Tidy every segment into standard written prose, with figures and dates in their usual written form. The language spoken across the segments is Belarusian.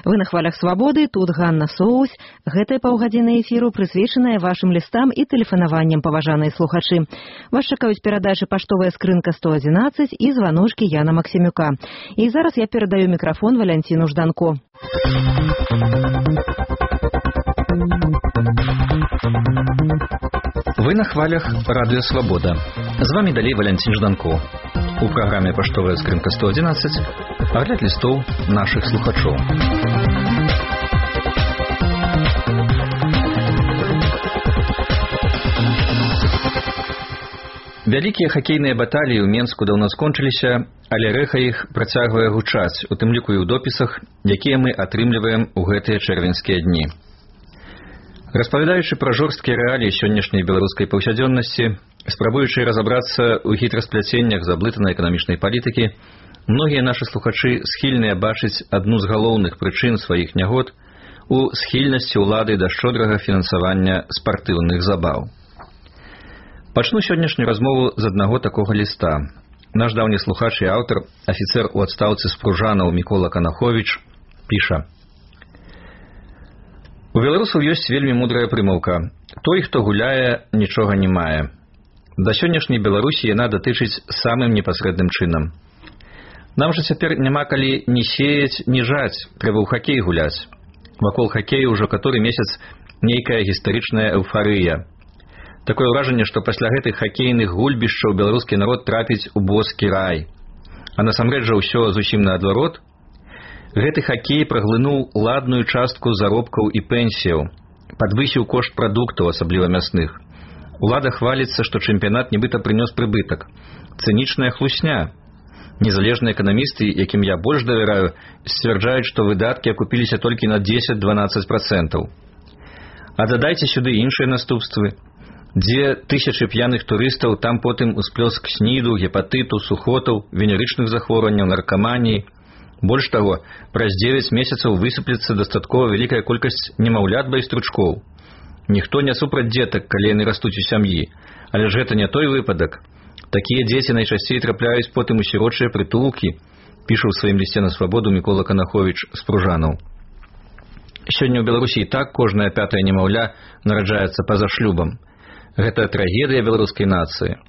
Вы на хвалях свабоды, тут Ганна Соусь. Гэтая паўгадзіны эфіру прысвечаная вашым лістам і тэлефанаванням, паважаныя слухачы. Вас чакаюць перадачы «Паштовая скрынка 111» і званочкі Яна Максімюка. І зараз я перадаю мікрафон Валянціну Жданко. Вы на хвалях радыё «Свабода». З вами далей Валянцін Жданко. У праграме «Паштовая скрынка 111» агляд лістоў нашых слухачоў. Вялікія хакейныя баталіі ў Менску даўно скончыліся, але рэха іх працягвае гучаць, у тым ліку і ў допісах, якія мы атрымліваем у гэтыя чэрвеньскія дні. Распавядаючы пра жорсткія рэаліі сённяшняй беларускай паўсядзённасці, спрабуючы разабрацца ў хітраспляценнях заблытанай эканамічнай палітыкі, многія нашы слухачы схільныя бачыць адну з галоўных прычын сваіх нягод у схільнасці ўлады да шчодрага фінансавання спартыўных забаў. Пачну сённяшнюю размову з аднаго такога ліста. Наш даўні слухач і аўтар, афіцэр у адстаўцы з Пружанаў Мікола Канаховіч, піша: У беларусаў ёсць вельмі мудрая прымаўка: той, хто гуляе, нічога не мае. Да сённяшняй Беларусі яна датычыць самым непасрэдным чынам. Нам жа цяпер няма калі ні сеяць, ні жаць, трэба ў хакей гуляць. Вакол хакею ўжо каторы месяц нейкая гістарычная эўфарыя. Такое ўражанне, што пасля гэтых хакейных гульбішчаў беларускі народ трапіць у боскі рай. А насамрэч жа ўсё зусім наадварот. Гэты хакей праглынуў ладную частку заробкаў і пенсіяў, падвысіў кошт прадуктаў, асабліва мясных. Улада хваліцца, што чэмпіянат нібыта прынёс прыбытак. Цынічная хлусня. Незалежныя эканамісты, якім я больш давяраю, сцвярджаюць, што выдаткі акупіліся толькі на 10-12%. А дадайце сюды іншыя наступствы. Дзе тысячы п'яных турыстаў, там потым усплёск сніду, гепатыту, сухотаў, венерычных захворванняў, наркаманіі. Больш таго, праз 9 месяцаў высыплецца дастаткова вялікая колькасць немаўлят байстручкоў. Ніхто не супраць дзетак, калі яны растуць у сям'і, але ж гэта не той выпадак. Такія дзеці найчасцей трапляюць потым у сірочыя прытулкі, піша ў сваім лісце на свабоду Мікола Канаховіч з Пружанаў. Сёння ў Беларусі і так кожнае 5-е немаўля нараджаецца па-за шлюбам. Гэта трагедыя беларускай нацыі.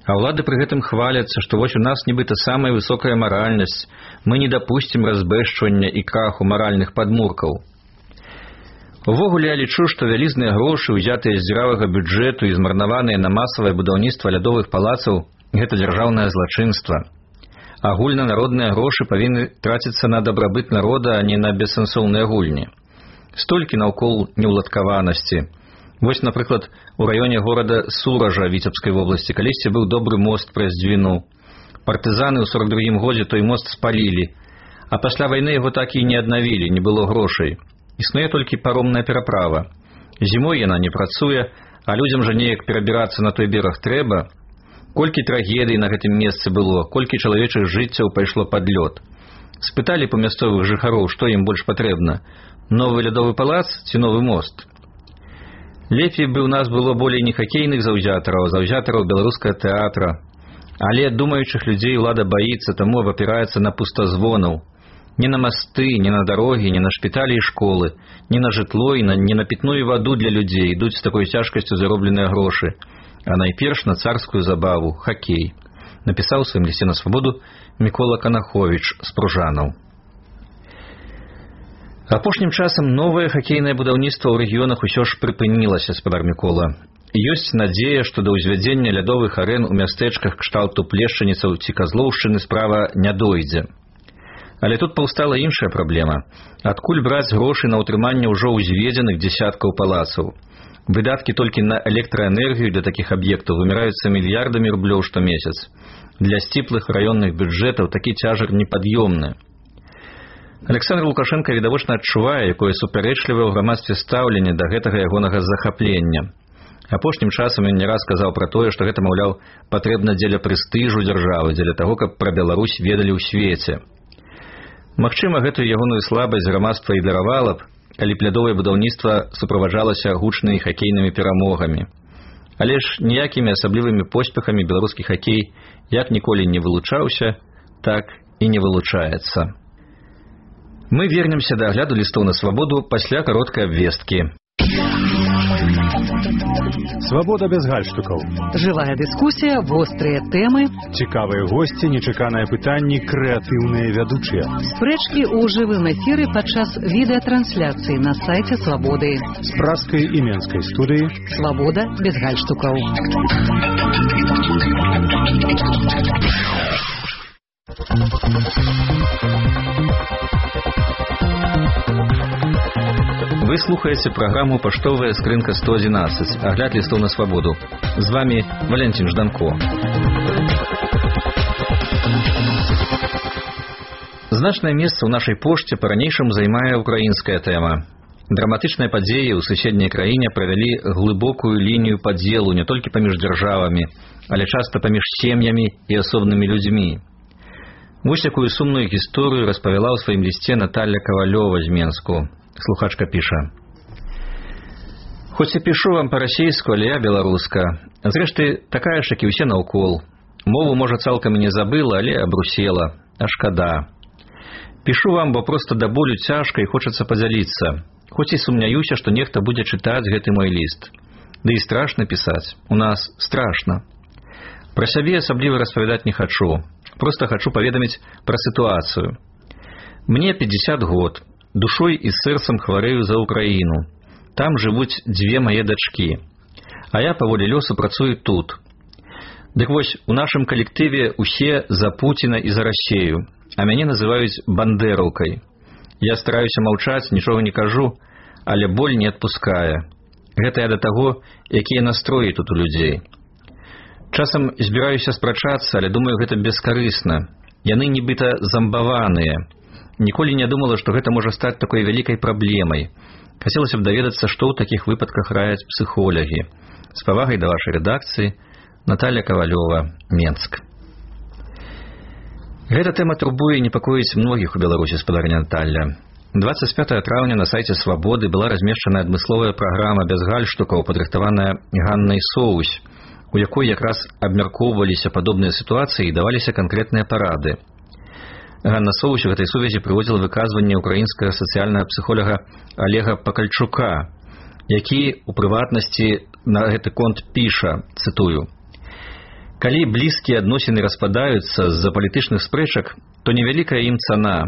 А ўлады пры гэтым хваляцца, што вось у нас нібыта самая высокая маральнасць, мы не дапусцім разбэшчвання і краху маральных падмуркаў. Увогуле я лічу, што вялізныя грошы, узятыя з дзіравага бюджэту і змарнаваныя на масавае будаўніцтва лядовых палацаў, гэта дзяржаўнае злачынства. Агульнанародныя грошы павінны траціцца на дабрабыт народа, а не на бессэнсоўныя гульні. Столькі наўкол неўладкаванасці. Вось, напрыклад, у раёне горада Суража Віцебскай вобласці калісьці быў добры мост праз Дзвіну. Партызаны ў 42-м годзе той мост спалілі, а пасля вайны яго так і не аднавілі, не было грошай. Існуе толькі паромная пераправа. Зімой яна не працуе, а людзям жа неяк перабірацца на той бераг трэба. Колькі трагедый на гэтым месцы было, колькі чалавечых жыццяў пайшло пад лёд. Спыталі па мясцовых жыхароў, што ім больш патрэбна: новы лядовы палац ці новы мост? Лепей бы у нас было болей не хакейных заўзятараў, а заўзятараў беларускага тэатра. Але думаючых людзей ўлада баіцца, таму абапіраецца на пустазвонаў. Не на масты, не на дарогі, не на шпіталі і школы, не на жытло і не на пітную ваду для людзей ідуць з такой цяжкасцю заробленыя грошы, а найперш на царскую забаву – хакей. Напісаў у сваім лісце на свабоду Мікола Канаховіч з Пружанаў. Апошнім часам новае хакейнае будаўніцтва ў рэгіёнах усё ж прыпынілася, спадар Мікола. Ёсць надзея, што да ўзвядзення лядовых арэн у мястэчках кшталту Плешчаніцаў ці Казлоўшчыны справа не дойдзе. Але тут паўстала іншая праблема. Адкуль браць грошы на ўтрыманне ўжо ўзведзеных дзесяткаў палацаў? Выдаткі толькі на электраэнергію для такіх аб'ектаў выміраюцца мільярдамі рублёў штомесяц. Для сціплых раённых бюджэтаў такі цяжар непад'ёмны. Александр Лукашенко відавочна адчувае, якое супярэчлівае ў грамадстве стаўленне да гэтага ягонага захаплення. Апошнім часам ён не раз казаў пра тое, што гэта, маўляў, патрэбна дзеля прэстыжу дзяржавы, дзеля таго, каб пра Беларусь ведалі ў свеце. Магчыма, гэтую ягоную слабасць грамадства і даравала б, калі б лядовае будаўніцтва суправаджалася гучнымі хакейнымі перамогамі. Але ж ніякімі асаблівымі поспехамі беларускі хакей як ніколі не вылучаўся, так і не вылучаецца. Мы вернемся да агляду лістоў на свабоду пасля кароткай абвесткі. Свабода без гальштукаў. Жывая дыскусія, вострыя тэмы, Цікавыя госці, нечаканыя пытанні, крэатыўныя вядучыя. спрэчкі ў жывым эфіры падчас відэатрансляцыі на сайце Свабоды. З пражскай і менскай студыі. Свабода без гальштукаў. Вы слухаеце праграму «Паштовая скрынка 111», агляд лістоў на свабоду. З вами Валентин Жданко. Значнае месца ў нашай пошце па-ранейшаму займае украінская тэма. Драматычныя падзеі ў суседняй краіне правялі глыбокую лінію падзелу не толькі паміж дзяржавамі, але часта паміж сем'ямі і асобнымі людзьмі. Вось якую сумную гісторыю распавяла ў сваім лісце Наталья Ковалёва з Менску. Слухачка піша: «Хоць я пішу вам па-расейску, але я беларуска. Зрэшты, такая ж, як і ўсе наўкол. Мову, можа, цалкам і не забыла, але абрусела. А шкада. Пішу вам, бо проста да болю цяжка і хочацца падзяліцца. Хоць і сумняюся, што нехта будзе чытаць гэты мой ліст. Ды і страшна пісаць. У нас страшна. Пра сябе асабліва распавядаць не хачу. Проста хачу паведаміць пра сітуацыю. Мне 50 год. Душой і сэрцам хварэю за Украіну. Там жывуць 2 мае дачкі. А я паволі лёсу працую тут. Дык вось, у нашым калектыве усе за Пуціна і за Расею, а мяне называюць бандэраўкай. Я стараюся маўчаць, нічога не кажу, але боль не адпускае. Гэта я да таго, якія настроі тут у людзей. Часам збіраюся спрачацца, але думаю, гэта бескарысна. Яны нібыта замбаваныя. Ніколі не думала, што гэта можа стаць такой вялікай праблемай. Хацелася б даведацца, што ў такіх выпадках раяць псіхолагі. З павагай да вашай рэдакцыі, Наталья Ковалёва, Менск. Гэта тэма турбуе і непакоіць многіх у Беларусі, спадарня Наталья. 25 траўня на сайце Свабоды была размешчана адмысловая праграма без гальштукаў, падрыхтаваная Ганнай Соусь, у якой якраз абмяркоўваліся падобныя сітуацыі і даваліся канкрэтныя парады. Ганна Соусь у гэтай сувязі прыводзіла выказванне украінскага сацыяльнага псіхолага Олега Пакальчука, які у прыватнасці на гэты конт піша, цытую: «Калі блізкія адносіны распадаюцца з-за палітычных спрэчак, то невялікая ім цана.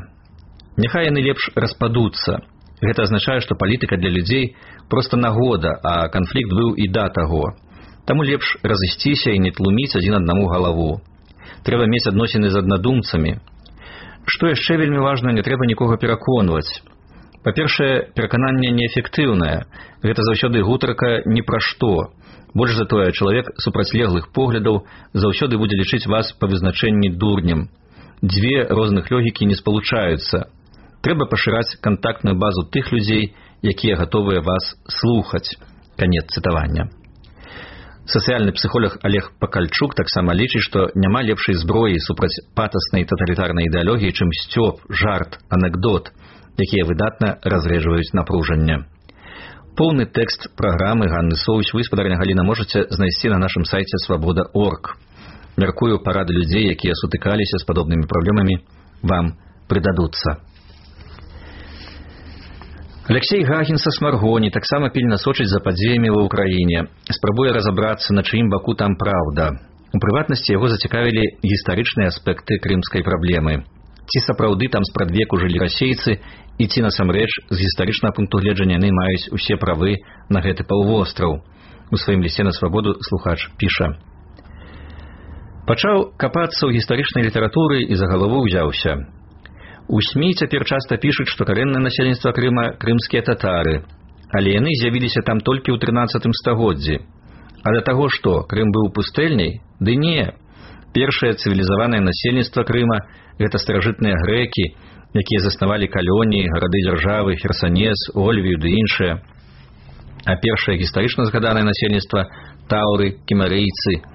Няхай яны лепш распадуцца. Гэта азначае, што палітыка для людзей проста нагода, а канфлікт быў і да таго. Таму лепш разысціся і не тлуміць адзін аднаму галаву. Трэба мець адносіны з аднадумцамі. Што яшчэ вельмі важна, не трэба нікога пераконваць. Па-першае, перакананне неэфектыўнае. Гэта заўсёды гутарка ні пра што. Больш за тое, чалавек супрацьлеглых поглядаў заўсёды будзе лічыць вас па вызначэнні дурнем. 2 розных логікі не спалучаюцца. Трэба пашыраць кантактную базу тых людзей, якія гатовыя вас слухаць». Канец цытавання. Сацыяльны псіхолог Олег Пакальчук таксама лічыць, што няма лепшай зброі супраць патаснай таталітарнай ідэалогіі, чым сцёб, жарт, анекдот, якія выдатна разрэджваюць напружанне. Поўны тэкст праграмы Ганны Соусь вы, спадарня Галіна, можаце знайсці на нашым сайце свабода.орг. Мяркую, парады людзей, якія сутыкаліся з падобнымі праблемамі, вам прыдадуцца. Алексей Гагін са Смаргоні таксама пільна сочыць за падзеямі ва ўкраіне. Спрабуе разабрацца, на чыім баку там праўда. У прыватнасці яго зацікавілі гістарычныя аспекты крымскай праблемы. Ці сапраўды там спрадвеку жылі расейцы, і ці насамрэч з гістарычнага пункту гледжання яны маюць усе правы на гэты паўвостраў. У сваім лісце на свабоду слухач піша: «Пачаў капацца ў гістарычнай літаратуры і за галаву ўзяўся. У СМІ цяпер часта пішуць, што карэннае насельніцтва Крыма крымскія татары, але яны з'явіліся там толькі ў 13 стагоддзі. А да таго што, Крым быў пустэльняй? Ды не. Першае цывілізаванае насельніцтва Крыма – гэта старажытныя грэкі, якія заснавалі калоніі, гарады-дзяржавы, Херсанес, Ольвію ды іншыя. А першае гістарычна згаданае насельніцтва – таўры, кімерыйцы.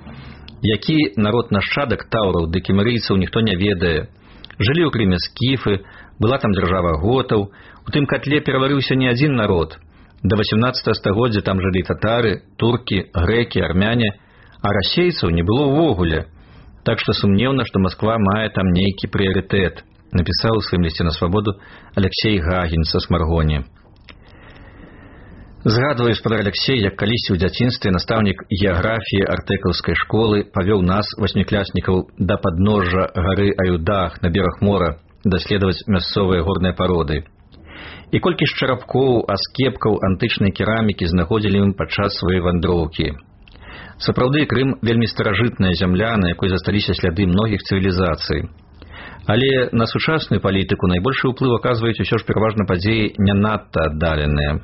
Які народ нашчадак таўраў ды кімерыйцаў ніхто не ведае. Жылі ў Крыме скіфы, была там дзяржава готаў, у тым катле пераварыўся не адзін народ. Да 18 стагоддзя там жылі татары, туркі, грэкі, армяне, а расейцаў не было ўвогуле. Так што сумнеўна, што Масква мае там нейкі прыярытэт. напісаў у сваім лісце на свабоду Алексей Гагін са Смаргоні. Згадваю, спадар Алексей, як калісьці ў дзяцінстве настаўнік геаграфіі артэкаўскай школы павёў нас, васьмікласнікаў, да падножжа гары Аюдах на бераг мора даследаваць мясцовыя горныя пароды. І колькі ж чарапкоў, аскепкаў антычнай керамікі знаходзілі ім падчас сваёй вандроўкі. Сапраўды, Крым вельмі старажытная зямля, на якой засталіся сляды многіх цывілізацый. Але на сучасную палітыку найбольшы ўплыў аказваюць усё ж пераважна падзеі не надта аддаленыя.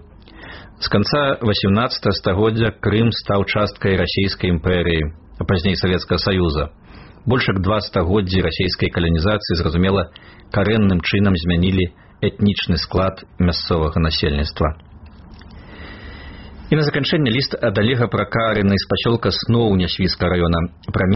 З канца 18 стагоддзя Крым стаў часткай расійскай імперыі, а пазней Савецкага Саюза. Больш як 2 стагоддзі расійскай каланізацыі, зразумела, карэнным чынам змянілі этнічны склад мясцовага насельніцтва. І на заканчэнне ліст ад Олега Пракарыны з пасёлка Сноў Нясвіцкага раёна пра